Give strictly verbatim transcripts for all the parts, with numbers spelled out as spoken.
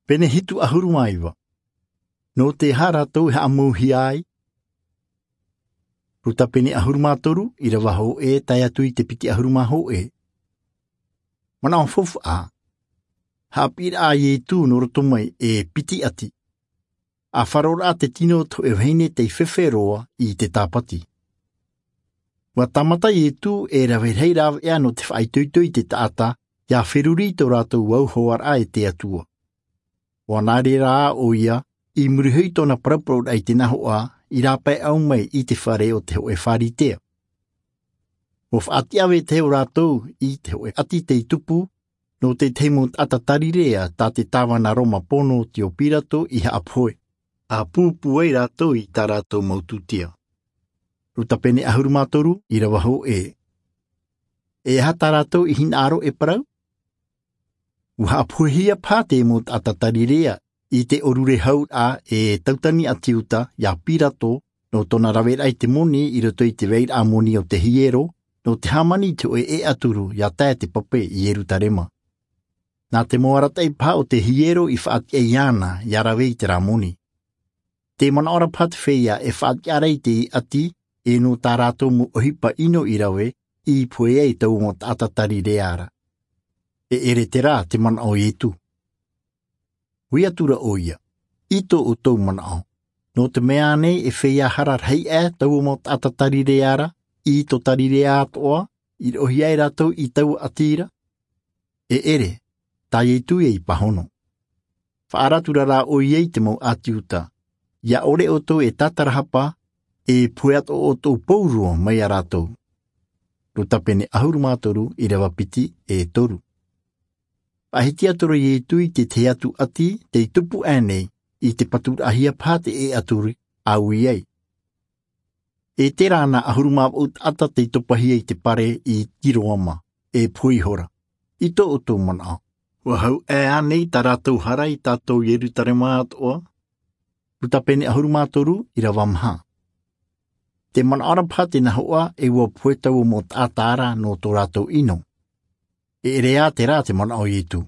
Pene hitu ʻahuru mā iva. Nō te aha rātou e haʻamauhia ai? Luka pene ʻahuru mā toru, ʻirava hōʻē, tae atu i te piti ʻahuru mā hōʻē. Manaʻo faufaʻa. Haʻapiʻiraʻa a Ietu nō roto mai e piti ʻati. ʻA faroraʻa te tino o te hōʻē vahine tei fefe roa i te tāpati. ʻUa tāmata Ietu e rave rahi rāveʻa nō te faʻaitoito i te taʻata, ʻia feruri i tō rātou vauhoaraʻa e te Atua. ʻUa nā reira ʻoia, i muri iho i tōna paraparauraʻa i te nahoʻa, i rāpae ʻau mai i te fare o te hōʻē Pharisea. ʻUa faʻatiʻa vetahi o rātou i te hōʻē ʻati tei tupu, nō te tahi mau taʻata Tarirea tā te tāvana Roma pono o Tio Pirato i haʻapohe. ʻA pūpū ai rātou i tā rātou mau tūtia. Luka pene ʻahuru mā toru, ʻirava hōʻē. E aha tā rātou i hinaʻaro e parau? ʻUa haʻapohehia paha te mau taʻata Tarirea i te ʻōrure hauraʻa e tautani ʻāti Iuta ia Pirato, nō tōna raveraʻa i te moni i roto i te vairaʻa moni o te hiero, nō te hāmani i te hōʻē ʻēʻaturu ʻia tae te pape i Ierutarema. Nā te mau arataʻi paha o te hiero i faʻatiʻa iāna ʻia rave i terā moni. Tē manaʻo ra paha te feiā e faʻatiʻa ra i te ʻati, e nō tā rātou mau ʻohipa ʻino i rave, i pohe ai taua mau taʻata Tarirea ra. E ʻere terā te manaʻo o Ietu. Ui atu ra ʻoia, i tō ʻoutou manaʻo, nō te mea ānei e feiā hara rahi aʻe taua mau taʻata Tarirea ra, i tō Tarirea atoʻa, i roʻohia ai rātou i taua ʻati ra? E ʻere, tā Ietu ia i pāhono. Faʻaara atu ra rā ʻoia i te mau ʻāti Iuta, ʻia ʻore ʻoutou e tātarahapa, e pohe atoʻa ʻoutou pauroa mai ia rātou. Luka pene ʻahuru mā toru, ʻirava piti e toru. Faʻahiti atu ra Ietu i te tahi atu ʻati tei tupu aʻenei, i te paturaʻahia paha te ʻēʻaturu, ʻa ui ai. E terā nā ʻahuru mā vaʻu taʻata tei topahia i te pare i Tiroama, e pohe ihora. I tō ʻoutou manaʻo, ʻua hau aʻe ānei tā rātou hara i tātou Ierutarema atoʻa? Luka pene ʻahuru mā toru, ʻirava maha. Tē manaʻo ra paha te nahoʻa e ʻua pohe taua mau taʻata ra nō tō rātou ʻino. E ʻere ā terā te manaʻo o Ietu.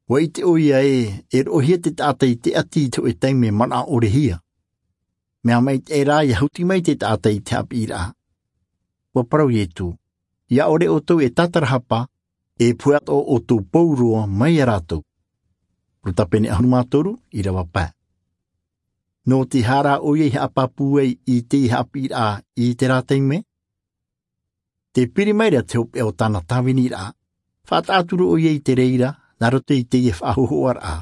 ʻUa ʻite ʻoia ē, e roʻohia te taʻata i te ʻati i te hōʻē taime manaʻo ʻorehia. Mea maitaʻi rā ʻia huti mai te taʻata i te haʻapiʻiraʻa. ʻUa parau Ietu, ʻia ʻore ʻoutou e tātarahapa, e pohe atoʻa ʻoutou pauroa mai ia rātou. Luka pene ʻahuru mā toru, ʻirava pae. Nō te aha rā ʻoia i haʻapāpū ai i te haʻapiʻiraʻa i terā taime? Tē piri mai ra te hopeʻa o tāna tāviniraʻa, faʻataʻa atu ra ʻoia i te reira, nā roto i teie faʻahōhoʻaraʻa.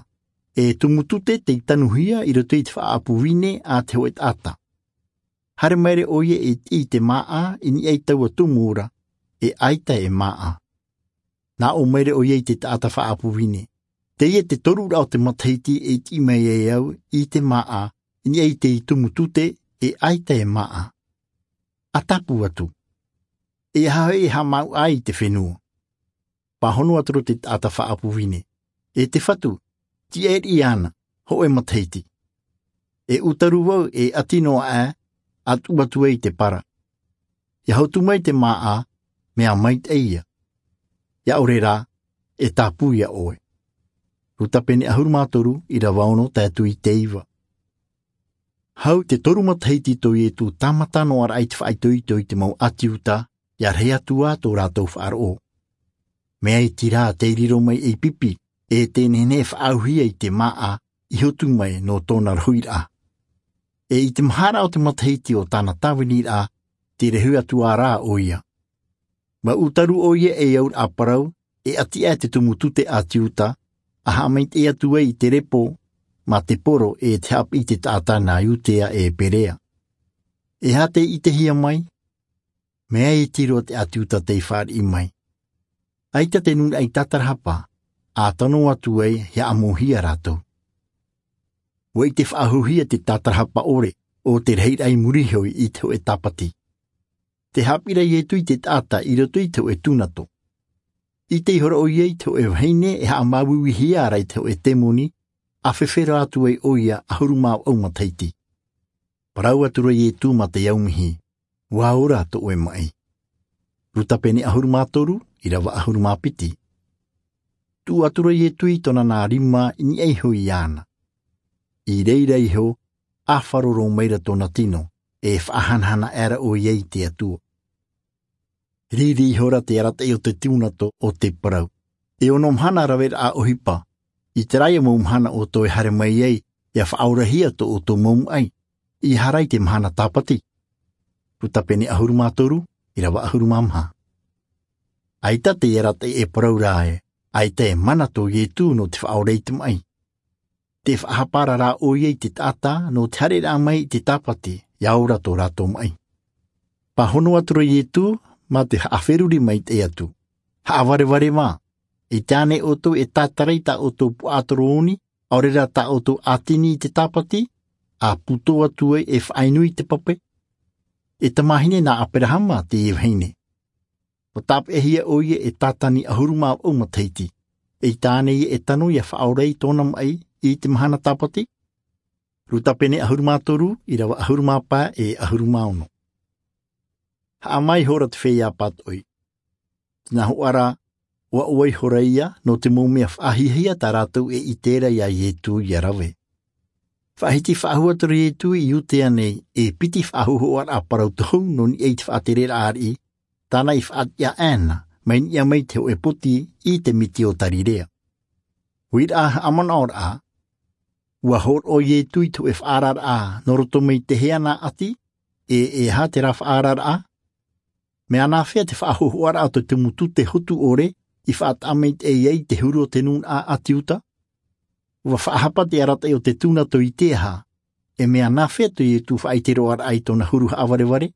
E tumu tute tei tanuhia i roto i te faʻaʻapu vine a te hōʻē taʻata. Haere mai ra ʻoia e tiʻi i te māʻa i niʻa i taua tumu ra, e ʻaita e māʻa. Nā ʻō mai ra ʻoia i te taʻata faʻaʻapu vine, teie te toruraʻa o te matahiti e tiʻi mai ai au i te māʻa i niʻa i te tumu tute, e ʻaita e māʻa. ʻA tāpū atu. E aha hoʻi e haʻamāuʻa ai i te fenua? Pāhono atu ra te taʻata faʻaʻapu vine, e te Fatu, tiʻa riʻi ana, hōʻē matahiti. E ʻūtaru vau e ʻati noa aʻe, ʻa tuʻu atu ai i te para. ʻIa hotu mai te māʻa, mea maitaʻi ia. ʻIa ʻore rā, e tāpū ia ʻoe. Luka pene ʻahuru mā toru, ʻirava ono tae atu i te iva. Hau te toru matahiti tō Ietu tāmata noa ra i te faʻaitoito i te mau ʻāti Iuta, ʻia rahi atu ā tō rātou faʻaroʻo. Mea iti rā tei riro mai ei pipi, e te nehenehe e faʻaauhia i te māʻa i hotu mai nō tōna rohiraʻa. E i te maharaʻa o te matahiti o tāna tāviniraʻa, tē rahi atu ā rā ʻoia. ʻUa ʻūtaru ʻoia ei auraʻa parau, e ʻati aʻe te tumu tute ʻāti Iuta, ʻa haʻamaitaʻi atu ai i te repo, mā te poro e te haʻapiʻi i te taʻata nā Iutea e Perea. E aha tei ʻitehia mai? Mea iti roa te ʻāti Iuta tei fāriʻi mai. ʻAita te nūnaʻa i tātarahapa, ʻa tano atu ai ʻia ʻāmauhia rātou. ʻUa ʻite faʻahouhia te tātarahapa ʻore, ʻo te rahiraʻa i muri iho i te hōʻē tāpati. Tē haʻapiʻi ra Ietu i te taʻata i roto i te hōʻē tūnato. ʻIte ihora ʻoia i te hōʻē vahine e haʻamāuiuihia ra i te hōʻē temoni, ʻa fefe roa atu ai ʻoia ʻahuru mā vaʻu matahiti. Parau atu ra Ietu mā te aumihi, ʻua ora tō ʻoe maʻi. Luka pene ʻahuru mā toru, ʻirava ʻahuru mā piti. Tuʻu atu ra iesu i tōna nā rima i niʻa iho iāna. I reira iho, ʻāfaroro maira tōna tino, e faʻahanahana aʻera ʻoia i te atua. Riri ihora te arataʻi o te tūnato o te parau. E ono mahana raveraʻa ʻohipa. I te rā ia mau mahana ʻoutou e haere mai ai, ia faʻaorahia tō ʻoutou mau maʻi, i hara i te mahana tāpati. Luka pene ʻahuru mā toru, ʻirava ʻahuru mā maha. ʻAita te arataʻi e parau ra ē, ʻaita e mana tō iesu nō te faʻaora i te maʻi. Te faʻahapa ra rā ʻoia i te taʻata nō te haereraʻa mai i te tāpati, ia ora tō rātou maʻi. Pāhono atu ra iesu, mā te haʻaferuri maitaʻi atu. Haʻavarevare mā. I te ʻānei ʻoutou e tātara i tā ʻoutou puaʻatoro ʻoni, ʻaore rā tā ʻoutou ʻātini i te tāpati, a pūtō atu ai e faʻainu i te pape? E tamāhine nā aperahama teie vahine. Ua tāpeʻahia ʻoia e sātani ʻahuru mā vaʻu matahiti. Eʻita ānei ia e tano ia faʻaora i tōna maʻi i te mahana tāpati? Luka pene ʻahuru mā toru, ʻirava ʻahuru mā pae e ʻahuru mā ono. Haʻamā ihora te feiā pātoʻi. Tēnā hoʻi rā, ua ʻoaʻoa ihora ia nō te mau mea faʻahiahia tā rātou e ʻite ra iā iesu ia rave. Faʻahiti faʻahou atu ra iesu i iudea nei, e piti faʻahōhoʻaraʻa parau tohu nō niʻa i te faʻatereraʻa ariʻi, tāna i faʻatiʻa ʻāna mai niʻa mai te hoʻe poti i te miti o galirea. Uiraʻa haʻamanaʻoraʻa. Ua hōroʻa iesu i te hoʻe faʻaararaʻa nō roto mai te hea nā ʻati, e e aha terā faʻaararaʻa? Mea nāfea te faʻahōhoʻaraʻa o te tumu tute hotu ʻore i faʻataʻa maitaʻi ai te huru o te nūnaʻa ʻati iuda? Ua faʻahapa te arataʻi o te tūnato i te aha? E mea nāfea tō iesu faʻaite roa raʻa i tōna huru haʻavarevare?